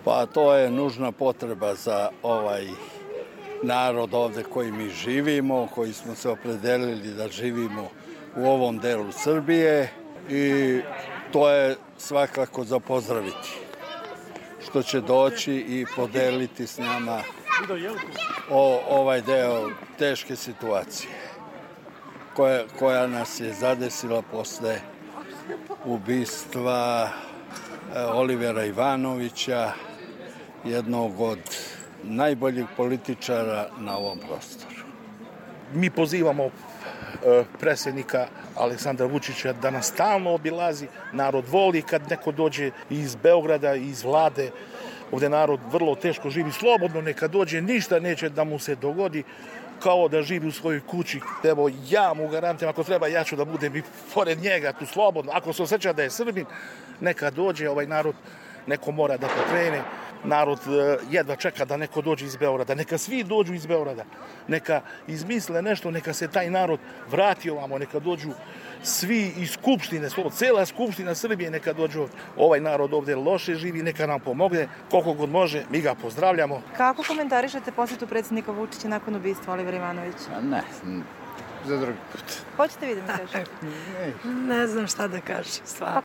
Pa to je nužna potreba za ovaj narod ovde koji mi živimo, koji smo se opredelili da živimo u ovom delu Srbije i to je svakako za pozdraviti. Što će doći i podeliti s nama ovaj deo teške situacije koja nas je zadesila posle ubistva Olivera Ivanovića, jednog od najboljih političara na ovom prostoru. Mi pozivamo predsjednika Aleksandra Vučića da nas stalno obilazi. Narod voli kad neko dođe iz Beograda, iz vlade. Ovdje narod vrlo teško živi, slobodno neka dođe, ništa neće da mu se dogodi, kao da živi u svojoj kući. Evo, ja mu garantujem, ako treba, ja ću da budem i pored njega tu slobodno. Ako se osjeća da je Srbin, neka dođe, ovaj narod neko mora da pokrene. Narod jedva čeka da neko dođe iz Beograda. Neka svi dođu iz Beograda. Neka izmisle nešto, neka se taj narod vrati ovamo, neka dođu svi iz Skupštine, cela Skupština Srbije neka dođu ovdje. Ovaj narod ovdje loše živi, neka nam pomogne, koliko god može, mi ga pozdravljamo. Kako komentarišete posjetu predsjednika Vučića nakon ubistva Olivera Ivanovića? Ne, za drugi put. Hoćete vi da mi kažete? Ne znam šta da kažem, stvarno.